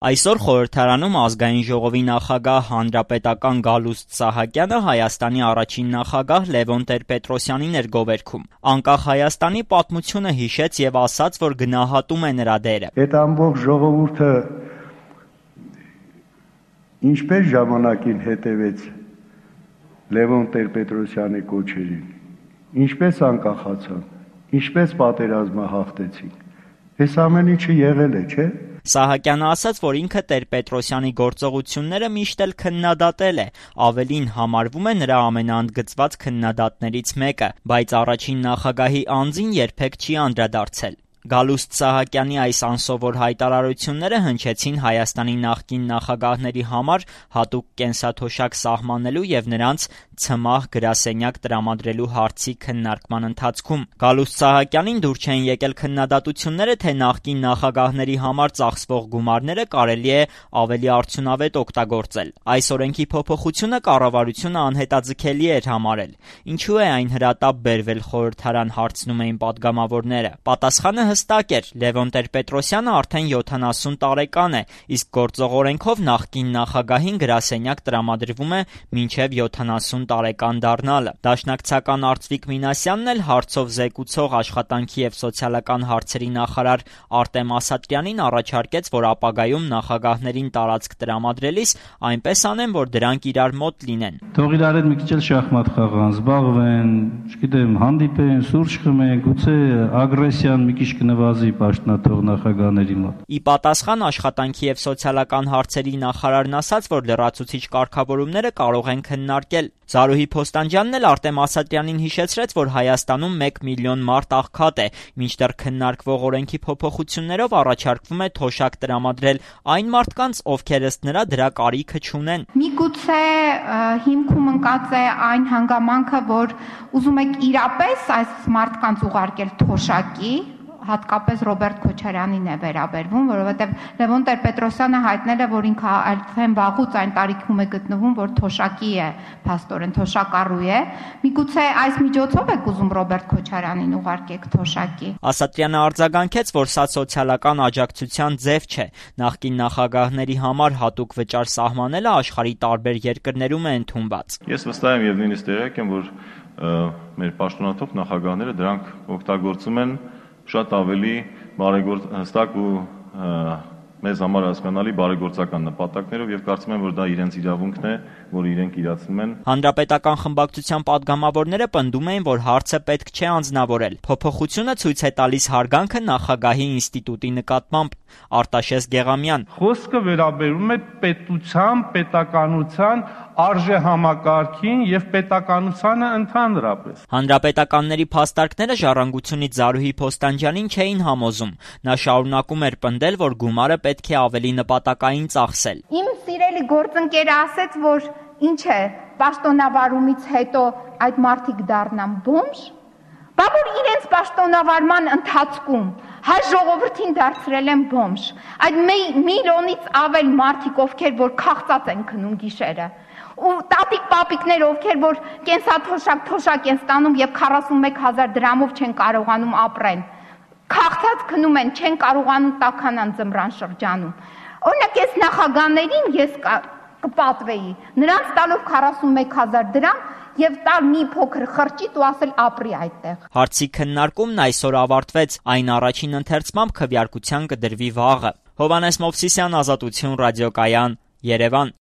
Այսօր խորհրդարանում ազգային ժողովի նախագահ հանրապետական Գալուստ Սահակյանը Հայաստանի առաջին նախագահ Լևոն Տեր-Պետրոսյանին էր գովերգում։ Անկախ Հայաստանի պատմությունը հիշեց եւ ասաց, որ գնահատում է նրա դերը։ Այդ ամբողջ ժողովուրդը ինչպես ժամանակին հետևեց Լևոն Տեր-Պետրոսյանի կոչերին, ինչպես անկախացան, ինչպես պատերազմը հաղթեցին։ Այս ամեն ինչը եղել է, չէ՞։ Սահակյանը ասաց, որ ինքը Տեր-Պետրոսյանի գործողությունները միշտ էլ քննադատել է, ավելին համարվում է նրա ամենաընդգծված քննադատներից մեկը, բայց առաջին նախագահի անձին երբեք չի անդրադարձել։ Գալուստ Սահակյանի այս անսովոր հայտարարությունները հնչեցին Հայաստանի նախկին նախագահների համար հատուկ կենսաթոշակ սահմանելու եւ նրանց ցմահ գրասենյակ տրամադրելու հարցի քննարկման ընթացքում։ Գալուստ Սահակյանին դուր չեն եկել քննադատությունները, թե նախկին նախագահների համար ծախսվող գումարները կարելի է ավելի արդյունավետ օգտագործել։ Այս օրենքի փոփոխությունը կառավարությունը անհետաձգելի էր համարել։ Ինչու է այն հրատապ բերվել խորհրդարան, հարցնում էին պատգամավորները։ Պատասխանը հստակ էր. Լևոն Տեր-Պետրոսյանը արդեն 70 տարեկան է, իսկ գործող օրենքով նախկին նախագահին գրասենյակ տրամադրվում է մինչև 70 տարեկան դառնալը։ Դաշնակցական Արծվիկ Մինասյանն էլ հարցով զեկուցող աշխատանքի եւ սոցիալական հարցերի նախարար Արտեմ Ասատրյանին առաջարկեց, որ ապագայում նախագահներին տարածք տրամադրելիս այնպես անեն, որ դրանք իրար մոտ լինեն։ Թող իրար հետ մի քիչ էլ շախմատ խաղան, զբաղվեն, չգիտեմ, հանդիպեն, սուրճ խմեն, գուցե ագրեսիան մի քիչ կնվազի պաշտոնաթող նախագահների մոտ։ Ի պատասխան աշխատանքի եւ սոցիալական հարցերի նախարարն ասաց, որ լրացուցիչ կարգավորումները կարող են քննարկել։ Զարուհի Փոստանջյանն էլ Արտեմ Ասատրյանին հիշեցրեց, որ Հայաստանում 1 միլիոն մարդ աղքատ է, մինչդեռ քննարկվող օրենքի փոփոխություններով առաջարկվում է թոշակ տրամադրել այն մարդկանց, ովքեր ըստ նրա դրա կարիքը չունեն։ Միգուցե հիմքում ընկած է այն հանգամանքը, որ ուզում եք իրապես այս մարդկանց ուղարկել թոշակի, հատկապես Ռոբերտ Քոչարյանին է վերաբերվում, որովհետև Լևոն Տեր-Պետրոսյանը հայտնել է, որ ինքը արդեն վաղուց այն տարիքում է գտնվում, որ թոշակի է, փաստորեն թոշակառու է։ Միգուցե այս միջոցով եք ուզում Ռոբերտ Քոչարյանին ուղարկեք թոշակի։ Ասատրյանը արձագանքեց, որ սա սոցիալական աջակցության ձև չէ։ Նախկին նախագահների համար հատուկ վճար սահմանելը աշխարհի տարբեր երկրներում է ընդունված։ Ես վստահ եմ եւ նույնիսկ տեղյակ եմ, որ մեր պաշտոնաթող նախագահները դրանք օգտագործում են շատ ավելի հստակ ու մեզ համար հասկանալի բարեգործական նպատակներով եւ կարծում եմ, որ դա իրենց իրավունքն է, որ իրենք իրացնում են։ Հանրապետական խմբակցության պատգամավորները պնդում էին, որ հարցը պետք չէ անձնավորել։ Փոփոխությունը ցույց է տալիս հարգանքը նախագահի ինստիտուտի նկատմամբ, Արտաշես Գեղամյան։ Խոսքը վերաբերում է պետության, պետականության արժեհամակարգին եւ պետականությանը ընդհանրապես։ Հանրապետականների փաստարկները ժառանգությունից Զարուհի Փոստանջյանին չէին համոզում։ Նա շարունակում էր պնդել, որ գումարը պետք է ավելի նպատակային ծախսել։ Իմ սիրելի գործընկերը ասեց, որ ինչ է, պաշտոնավարումից հետո այդ մարդիկ դառնան բոմժ։ Բա որ իրենց պաշտոնավարման ընթացքում հայ ժողովրդին դարձրել են բոմժ։ Այդ միլիոնից ավել մարդիկ, ովքեր որ քաղցած են քնում գիշերը, ու տատիկ-պապիկներ, ովքեր որ կենսաթոշակ են ստանում եւ 41,000 դրամով չեն կարողանում ապրեն, քաղցած քնում են, չեն կարողանում տաքանան ձմռան շրջանում։ Օրինակ այս նախագահներին ես կպատվեի, նրանց տալով 41,000 դրամ եւ տալ մի փոքր խրճիտ ու ասել ապրի այդտեղ։ Հարցի քննարկումն այսօր ավարտվեց, այն առաջին ընթերցմամբ քվեարկության կդրվի վաղը։ Հովհաննես Մովսիսյան, Ազատություն ռադիոկայան, Երևան։